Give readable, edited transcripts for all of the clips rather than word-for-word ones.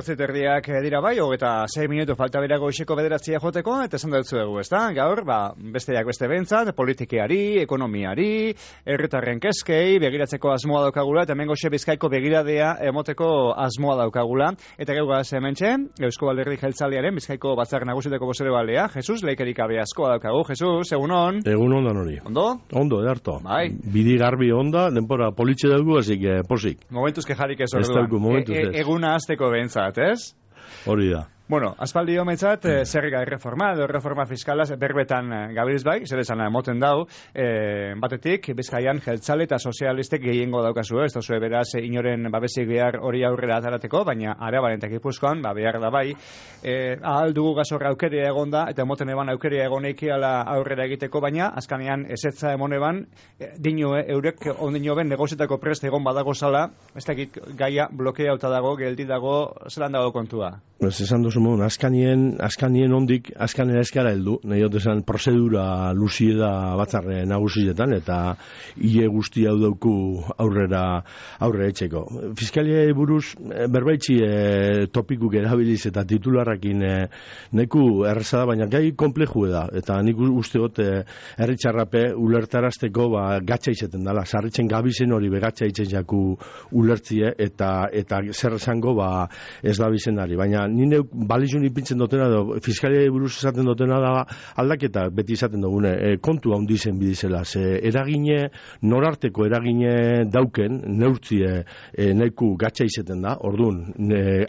8:30 dira bai, eta 6 minutu falta bera goizeko 9 joteko, eta esan dutzu dugu, ezta? Gaur, besteak beste bentzat, politikeari, ekonomiari, herritarren keskei, begiratzeko asmoa daukagula, eta hemen goxe Bizkaiko begiradea emoteko asmoa daukagula. Eta geugaz hementxe, Eusko Alderdi Jeltzalearen Bizkaiko Batzar Nagusiteko bozerebalea, Jesus Leikerik abe askoa daukagu. Jesus, egunon? Egunon da nori. Ondo? Ondo, edarto. Bai. Bidi garbi onda, denpora politxe dugu, así que posik. Momentuz kejarik ez orduan. Eguna azteko behintzat, ez? Hori da. Bueno, aspaldi hometzat, zerrika erreforma, edo erreforma fiskalaz berbetan gabiltz bai, zer esan moten dau, batetik, Bizkaian jeltzale eta sozialistek gehiengo daukazu, ez da beraz, inoren babesik behar hori aurrera atarateko, baina Araban eta Gipuzkoan, behar da bai, ahal dugu gazorra aukeria egonda, eta moten eban aukeria egoneiki ala aurrera egiteko, baina, azkanean, ezetza emon eban, dino eurek ondino ben negozietako prest egon badago zala, ez dakit gaia blokeauta dago, geldi dago, zelan dago kontua? Esan duzu modun, askanien ondik, askanera eskara heldu, nahi esan prozedura luzie da batzarre nagusietan, eta hile guzti hau dauku aurrera etxeko. Fiskalia buruz, berbaitzi topikuk erabiliz eta titularrakin neku errezada, baina gai komplexu da, eta nik usteot herritxarrape ulertarazteko gatsa izeten dela, sarritzen gabizen hori begatsa itzen jaku ulertzie, eta zer esango ez da bizenari, baina nire balizun ipintzen dutena, fiskalia buruz esaten dutena da aldaketa beti izaten dugune, kontu handizen bidizela, eragine, norarteko eragine dauken, neurtzie neku gatsa izeten da, orduan,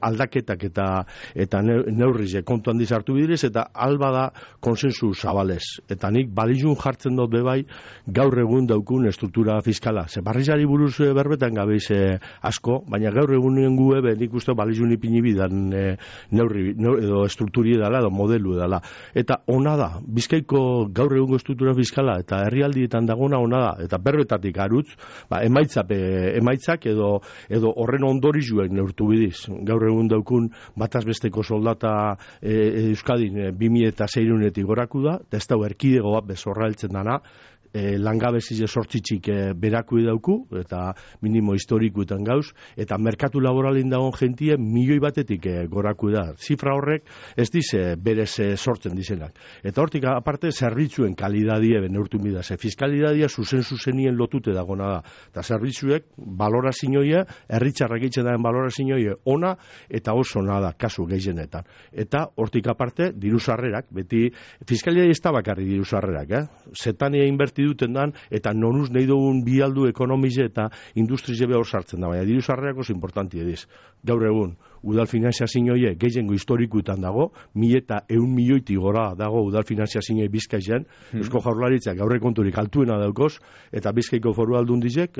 aldaketak eta neurrize kontu handiz hartu bidiriz, eta alba da konsensu zabalez. Eta nik balizun jartzen dut bebai gaur egun daukun estruktura fiskala. Barrizari buruz berbetan gabeiz asko, baina gaur egun gu nik uste balizun ipini bidan neurri edo estrukturi edala, edo modelu edala. Eta ona da, Bizkaiko gaur egungo estruktura fiskala eta herrialdietan dagona ona da, eta berbetatik arutz, emaitzak edo horren ondorizuen neurtu bidiz. Gaur egun daukun batazbesteko soldata Euskadin 2006-etik goraku da, eta ez da erkidego bat bezorra heltzen dana, langabezize sortzitxik beraku dauku, eta minimo historikuetan gauz, eta merkatu laboralin dagoen jentie milioi batetik goraku da. Zifra horrek ez dize berez sortzen dizenak. Eta hortik aparte zerbitzuen kalidadie neurtu bida. Fiskalidadia zuzenien lotute dagona da. Eta zerbitzuek balorazioie, herritxarrak eitzen daren balorazioie ona, eta oso nada, kasu gehienetan. Eta hortik aparte, diru-sarrerak, beti fiskalidadia ez da bakarri diru-sarrerak, Zetania inberti duten dan, eta nonuz nahi dugun bialdu ekonomize eta industrize behor sartzen da, baina diru-sarrerak oso importanti ediz. Gaur egun, udal finanziazioie gehiengo historikuetan dago, 1.100 milioiti gora dago udal finanziazioie Bizkaian, Eusko Jaurlaritzak gaurre konturik altuena daukoz, eta Bizkaiko foru aldundizek,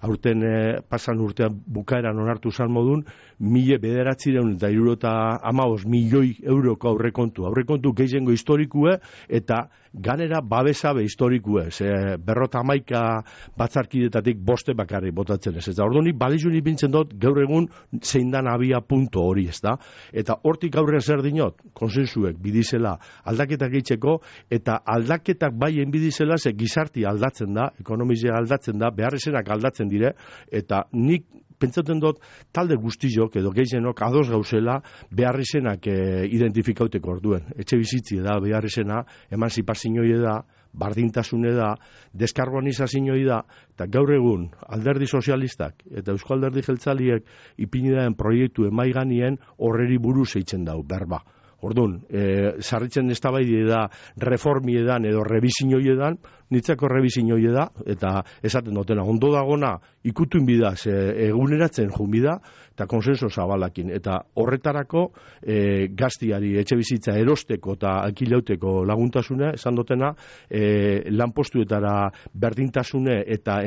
aurten pasan urtean bukaeran onartu zan modun, 1.915 milioi euroko aurrekontu gehiengo historikue, eta ganera babesabe historikue, 51 batzarkidetatik 5 bakarrik botatzen ez. Eta ordunik balizun ipintzen dut gaur egun zein dan abia punto hori, ez da? Eta hortik aurrean zer dinot, konsensuek bidizela aldaketak eitzeko, eta aldaketak baien bidizela ze gizarti aldatzen da, ekonomizia aldatzen da, beharrezenak aldatzen dire, eta nik pentsatzen dut talde guztiok edo gehienok ados gauzela beharrezenak identifikauteko orduen. Etxe bizitzi da beharrezena, emanzipazioa da, bardintasune da, deskarbonizazioa da, eta gaur egun alderdi sozialistak eta Eusko Alderdi Jeltzaliek ipinidaen proiektu emaiganien horreri buruz eitzen dau, berba. Orduan, sarritzen eztabaide da reformiedan edo rebizinioiedan, nitzako rebizinioie eta esaten dutena, ondo dagona ikutuin bidaz, eguneratzen jun bida, eta konsenso zabalakin. Eta horretarako gaztiari etxe bizitza erosteko eta alkilauteko laguntasuna, esan dutena, lanpostuetara berdintasune eta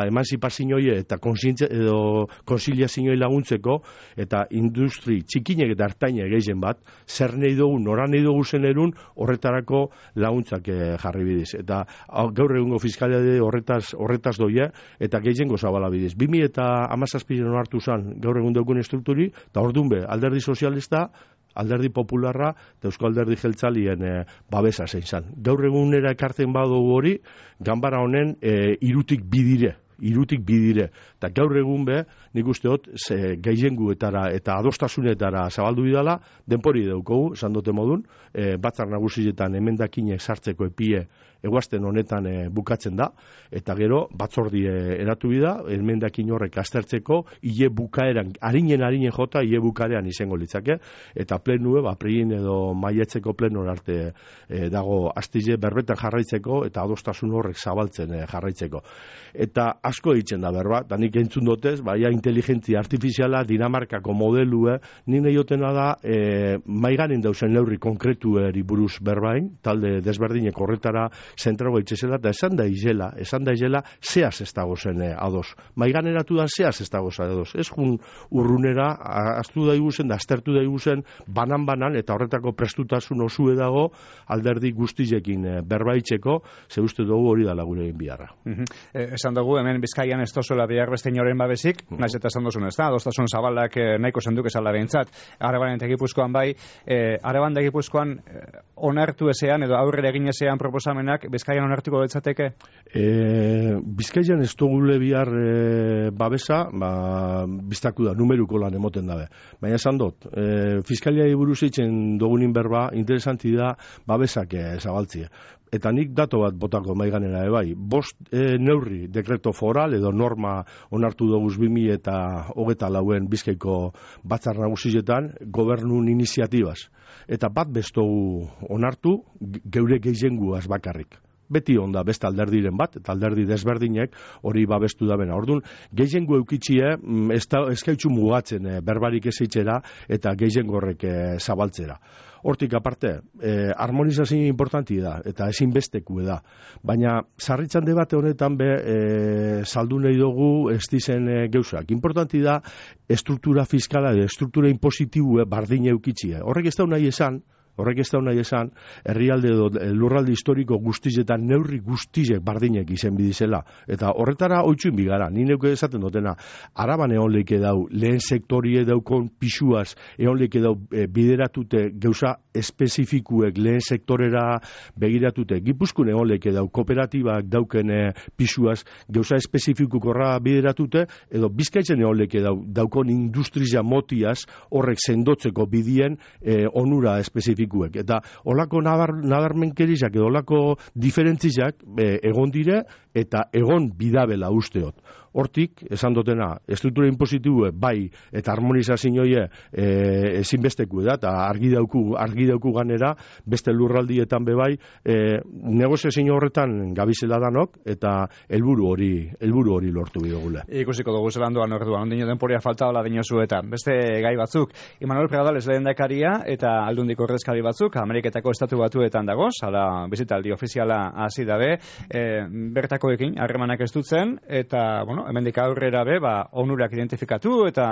emanzipazioie eta konsiliazioie laguntzeko, eta industri txikinek eta hartainek gehien bat, zer nahi dugu, nora nahi dugu zenerun, horretarako laguntzak jarri bidiz. Eta gaur egungo fiskalitate horretaz doia, eta gehiengo zabala bidiz. 2017 hartu zan gaur egun daukun estrukturi, eta orduan be, alderdi sozialista, alderdi popularra eta Eusko Alderdi Jeltzalien babesa zein zan. Gaur egunera ekartzen badugu hori, ganbara honen irutik bidire. irutik bidire. Eta gaur egun nik uste dut, gehienguetara eta adostasunetara zabaldu bidala, denpori daukogu, esan dute modun, batzar nagusietan emendakinek sartzeko epie eguazten honetan bukatzen da, eta gero batzordi eratu bida, emendakin horrek aztertzeko, hile bukaeran, harinen jota, hile bukaeran izango litzake, eta plenue, prein edo maietzeko plenor arte dago astile berbetan jarraitzeko, eta adostasun horrek zabaltzen jarraitzeko. Eta asko egiten da berba, eta nik entzun dotez, baina inteligentzia artifiziala, Dinamarkako modelue, nire jotena da, maiganen dauzen neurri konkretueri buruz berbain, talde desberdinek horretara zentrago itxezela, eta esan da izela, zehaz ez dago zen ados. Maiganeratu da zehaz ez dago zen ados. Ez jun urrunera, aztu da iguzen, da aztertu da iguzen, banan, eta horretako prestutasun osue dago, alderdi guztizekin berbaitzeko, ze uste dugu hori da gure egin biharra. Esan dugu, hemen Bizkaian ez tozuela bihar beste inoren babesik, naiz eta esan duzun ez da, adostasun zabalak nahiko zenduk esala behintzat, Araban eta Gipuzkoan bai, Araban da Gipuzkoan onartu ezean, edo aurrera egin ezean proposamenak, Bizkaian onartuko betzateke? Bizkaian ez dugule bihar babesa, biztaku da, numeruko lan emoten dabe. Baina esan dut, Fiskaliai buruz eitzen dugunin berba, interesanti da babesak zabaltzie. Eta nik dato bat botako maiganera bai. 5 neurri dekreto foral edo norma onartu doguz 2024 Bizkaiko batzar nagusietan gobernun iniziatibaz. Eta bat bestogu onartu geure gehienguaz bakarrik. Beti onda beste alderdiren bat, eta alderdi desberdinek hori babestu da bena. Orduan, gehiengo eukitxie, eskaitzu mugatzen berbarik ezeitxera eta gehiengo horrek zabaltzera. Hortik aparte, harmonizazio importanti da, eta ezinbesteku da. Baina, sarritzan debate honetan saldu nahi dugu ez dizen geuzak. Importanti da, estruktura fiskala, estruktura impositibu bardine eukitxie. Horrek ez da nahi esan, herrialde edo lurralde historiko guztizetan neurri guztizek bardinek izen bidizela. Eta horretara oitzuin bigara, ni neuke esaten dutena, Araban egon leike dau, lehen sektorie daukon pisuaz, egon leike dau bideratute gauza espezifikuek lehen sektorera begiratute. Gipuzkoan egon leike dau, kooperatibak dauken pisuaz, gauza espezifikukorra bideratute, edo Bizkaitzen egon leike dau, daukon industria motiaz horrek sendotzeko bidien onura espezifikuek. Eta olako nadarmenkerizak edo olako diferentzizak egon dire eta egon bidabela usteot. Hortik, esan dutena, estruktura impositibu bai eta harmonizazioie ezinbesteku da, eta argi dauku ganera, beste lurraldietan bai, negoziazio horretan gabizela danok, eta helburu hori lortu bidogule. Ikusiko dugu zelan duan orduan, ondino denporia falta hola dinozu eta beste gai batzuk. Imanol Pradales lehendakaria eta aldundiko ordezkari batzuk, Ameriketako estatu batuetan dagoz, hala bizitaldi ofiziala hasi dabe, bertakoekin harremanak ez dutzen, eta, hemendik aurrera onurak identifikatu eta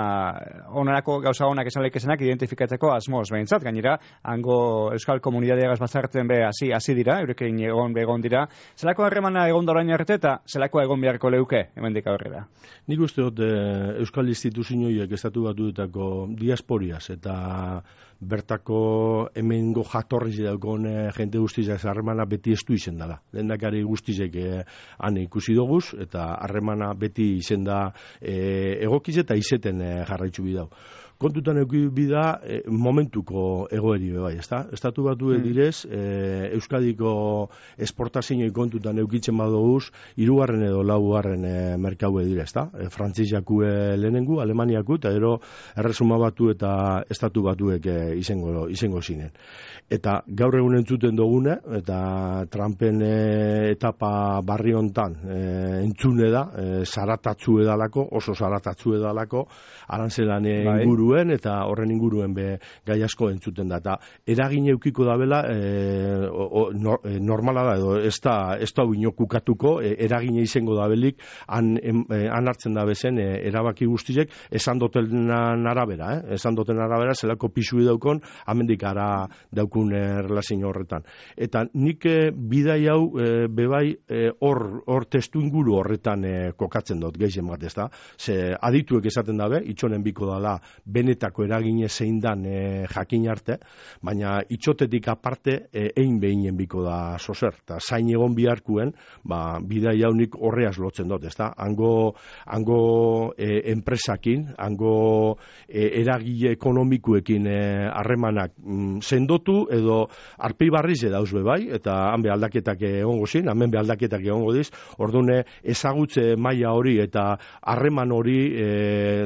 onarako gauza onak esan leikesenak identifikatzeko asmoz behintzat. Gainera, hango euskal komunidadeagaz batzartzen hasi dira, eurekin egon dira. Zelako harremana egon da orain arte eta zelako egon beharko leuke hemendik aurrera? Nik uste dut euskal instituzioiek estatu batuetako diasporiaz eta bertako hemengo jatorriz daukon jente guztizak harremana beti estu izen dela. Lehendakari guztizek han ikusi doguz eta harremana beti izen da egokiz eta izeten jarraitzu bidau. Kontutan eukibi da momentuko egoeri bai, ezta? Estatu batu direz, Euskadiko esportazioi kontutan eukitzen badoguz, 3. edo 4. merkaue dire, ezta? Frantziakue lehenengu, Alemaniaku, eta ero erresuma batu eta estatu batuek izango zinen. Eta gaur egun entzuten dugune, eta Trumpen etapa barri hontan entzune da, zaratatzu edalako, oso zaratatzu edalako, arantzelan inguruen, eta horren inguruen gai asko entzuten da. Eta eragin eukiko da bela, normala da, edo ez da inokukatuko, eragin izango da belik, han hartzen da bezen, erabaki guztizek, esan doten arabera, zelako pisui daukon, amendik ara daukun relazio horretan. Eta nik bidai hau bebai hor testu inguru horretan kokatzen dut, gehien bat ez da. Ze adituek esaten dabe, itxonen biko dala benetako eragine zein dan jakin arte, baina itxotetik aparte egin behinen biko da zozer, eta zain egon biharkuen, bidai jaunik horreaz lotzen dut, ezta? Hango enpresakin, hango eragile ekonomikuekin harremanak sendotu edo arpi barriz dauz bai, eta han be aldaketak egongo zin, hemen be aldaketak egongo diz, ordune ezagutze maila hori eta harreman hori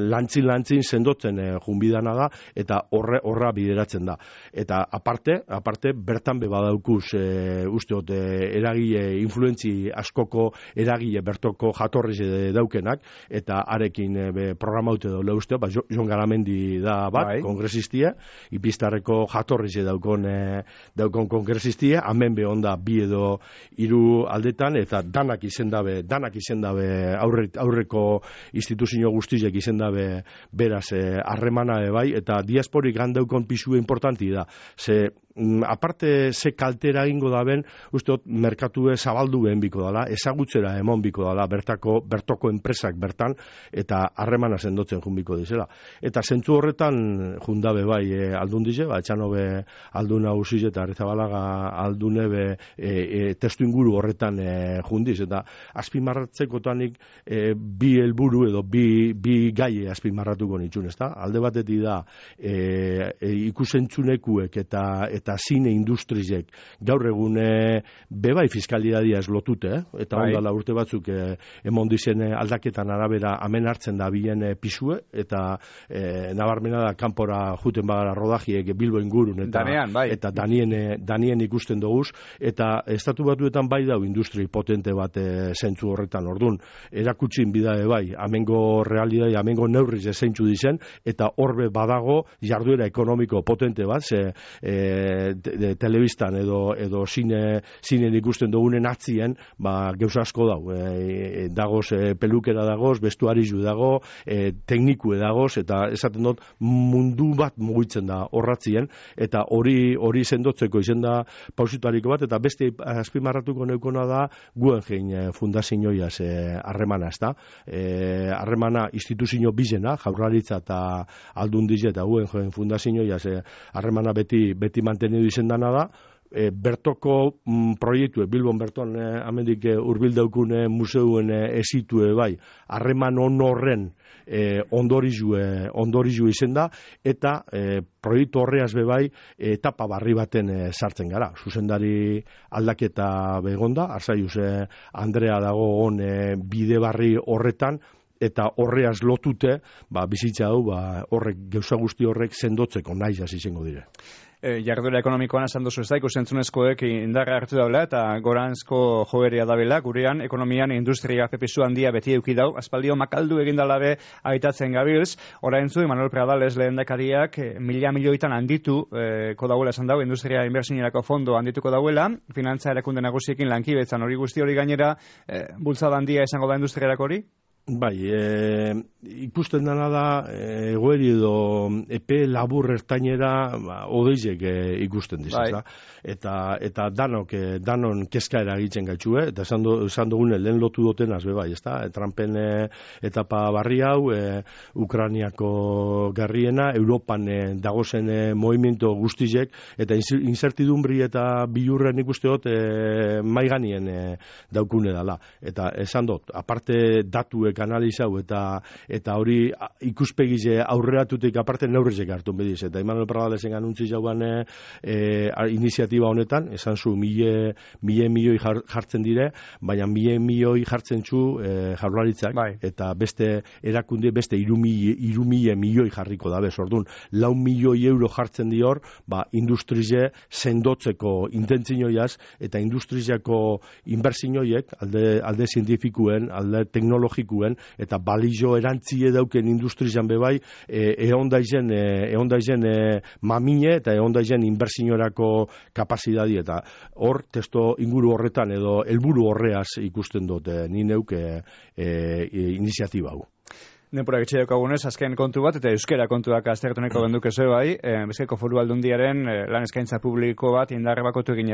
lantzin sendotzen junbidana da, eta horra bideratzen da. Eta aparte bertan be badaukuz usteot eragile influentzi askoko eragile bertoko jatorriz daukenak, eta arekin programaute dola usteo, Jon Garamendi da bat, kongresistia, ipistarreko jatorriz daukon kongresistia, hemen be onda bi edo hiru aldetan, eta danak izendabe aurreko instituzio guztiek izendabe beraz harremana bai, eta diasporik gandaukon pisua importanti da. Aparte ze kaltera egingo da ben, usteot merkatue zabaldu behen biko dala, ezagutzera emon biko dala, bertoko enpresak bertan, eta harremana sendotzen junbiko dizela. Eta zentzu horretan jundabe bai aldundize, etxanobe alduna usiz eta Arrizabalaga aldunebe testu inguru horretan jundiz, eta azpimarratzekotanik bi helburu edo bi gai azpimarratuko nitxun, ezta? Alde batetik da ikusentzunekuek eta zine industrizek gaur egune bebai fiskalidadia eslotute, eta ondala urte batzuk emon dizen aldaketan arabera hemen hartzen da bien pisue, eta nabarmena da kanpora juten bagara rodajiek Bilbo ingurun, eta danien ikusten doguz, eta estatu batuetan bai dau industri potente bat zentzu horretan, ordun erakutsin bidae bai, amengo realidade, amengo neurriz zeintzu dizen, eta horbe badago jarduera ekonomiko potente bat, telebistan edo zinen ikusten dugunen atzien, gauza asko dau. Dagoz pelukera dagoz, bestuarizu dago, teknikue dagoz, eta esaten dut mundu bat mugitzen da horratzien, eta hori sendotzeko izen da pausitariko bat, eta beste azpimarratuko neukona da Guggenheim fundazioiaz harremana, ezta? Harremana instituzio bizena, Jaurlaritza eta Aldundiz eta Guggenheim fundazioiaz harremana beti mantenidu izendana da, bertoko proiektu, Bilbon berton amendik urbil daukune museuen esitue bai, harreman horren ondorizu izen da, eta proiektu horreaz bebai etapa barri baten sartzen gara. Zuzendari aldaketa begonda, arzaiuz Andrea dago on bide barri horretan, eta horreaz lotute, bizitza hau, horrek gauza guzti horrek sendotzeko nahiz hasi izango dire. Jarduera ekonomikoan esan duzu ez da, ikusentzunezkoek indarra hartu daula eta goranzko joeria dabela, gurean ekonomian industria pepisu handia beti eukidau, aspaldio makaldu egindalabe aitatzen gabilz, oraintzu Manuel Pradales lehendakariak milioitan handitu kodauela esan dau, industria inbertsinerako fondo handituko dauela, finantza erakunde nagusiekin lankibetzan hori guzti hori gainera, bultzada handia esango da industriarako hori? Bai, ikusten dena da, egoeri edo epe labur ertainera odeizek ikusten dizaz, eta danon kezka eragitzen gaitxue, eta esan dugune lehen lotu dotenaz, bai, ez da, Trumpen etapa barri hau, Ukrainiako garriena, Europan dagozen movimiento guztizek, eta incertidumbri eta bilurren ikusteot maiganien daukune dala. Eta esan dut, aparte datuek analizau eta hori ikuspegize aurreratutik aparte neurrizek hartu bediz. Eta Manuel Pradalesen anuntzi jauan iniziatiba honetan, esan zu milioi jartzen dire, baina milioi jartzen zu Jaurlaritzak, eta beste erakunde, beste 3.000 milioi jarriko da bez. Orduan, 4 milioi euro jartzen dior, industrize sendotzeko intentzioiaz, eta industriziako inbertsioiek, alde zientifikuen, alde teknologikuen, eta balizo erantzie dauken industrian bebai, eondaizen mamine eta eondaizen inbertsiorako kapazidadi, eta hor testo inguru horretan edo helburu horreaz ikusten dut ni neuke iniziatiba hau. Denpora getxe daukagunez, azken kontu bat, eta euskera kontuak aztertu nahiko genduke zeu bai, Bizkaiko Foru Aldundiaren lan eskaintza publiko bat indarre bakotu egin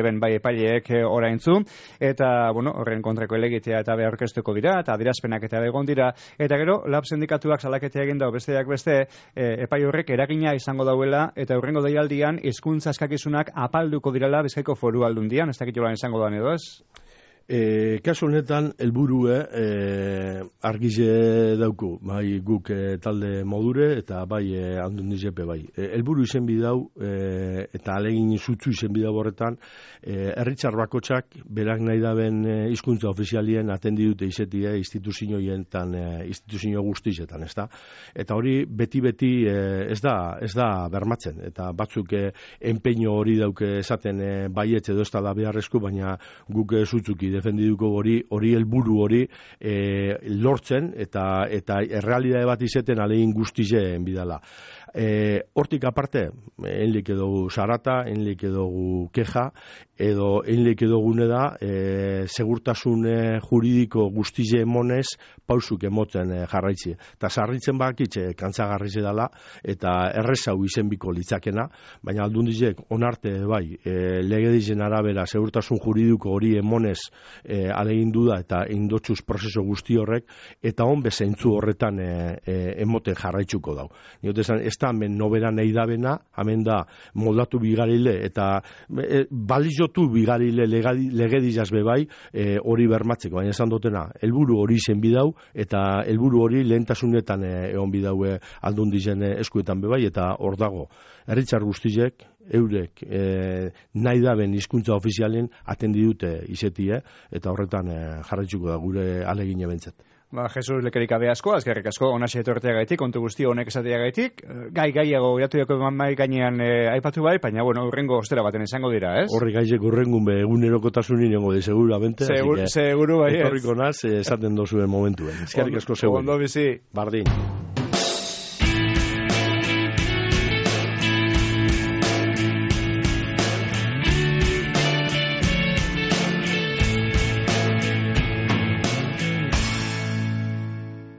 eben bai epaileek oraintzu, eta, bueno, horren kontrako elegitea eta be aurkeztuko dira, eta adierazpenak eta egon dira, eta gero, lab sindikatuak salaketea egin dau besteak beste, epai horrek eragina izango dauela, eta hurrengo deialdian hizkuntza eskakizunak apalduko direla Bizkaiko Foru Aldundian, ez dakit jolan izango da edo ez? Kasu honetan, helburue argize dauku, bai guk talde modure eta bai Aldundizepe bai. Helburu izen bidau eta alegin zutzu izen bidau horretan, herritzar bakotsak berak nahi daben hizkuntza ofizialien atendi dute izetie instituzio guztizetan, ezta? Eta hori beti ez da bermatzen, eta batzuk enpeño hori dauke esaten baietz edo ez da beharrezko, baina guk zutzuki defendiduko hori helburu hori lortzen eta errealitate bat izeten alegin guztien bidala. Hortik aparte, enlik edogu sarata, enlik edogu keja, edo enlik edogune da segurtasun juridiko guztize emonez pausuk emotzen jarraitzi. Eta sarritzen bakitxe kantzagarrize dela eta errezau izenbiko litzakena, baina Aldundizek onarte bai legedizen arabera segurtasun juridiko hori emonez alegin duda eta indotsuz prozeso guzti horrek eta on bezentzu horretan emoten jarraitzuko dau. Niotesan, ez da hemen nobera nahi dabena, hemen da moldatu bigarile eta balizotu bigarile legedizaz bebai hori bermatzeko, baina esan dutena, helburu hori zen bidau eta helburu hori lehentasunetan egon bidau Aldundizen eskuetan bebai eta hor dago. Herritzar guztiek, eurek nahi daben hizkuntza ofizialen atendi dute izetie eta horretan jarraitzuko da gure alegine bentzat. Jesus lekerik abe asko, azkerrik asko, onaxe etorteagaitik, kontu guzti honek esateagaitik, gaiago iratuko mai gainean aipatu bai, baina, bueno, urrengo ostera baten izango dira, ez? Horri gaizek urrengun be egunerokotasunin nengo de seguramente, seguru bai, ez? Etorriko naz, esaten dozuen momentuen. Eskerrik asko zegoen. Ondo bizi. Bardin.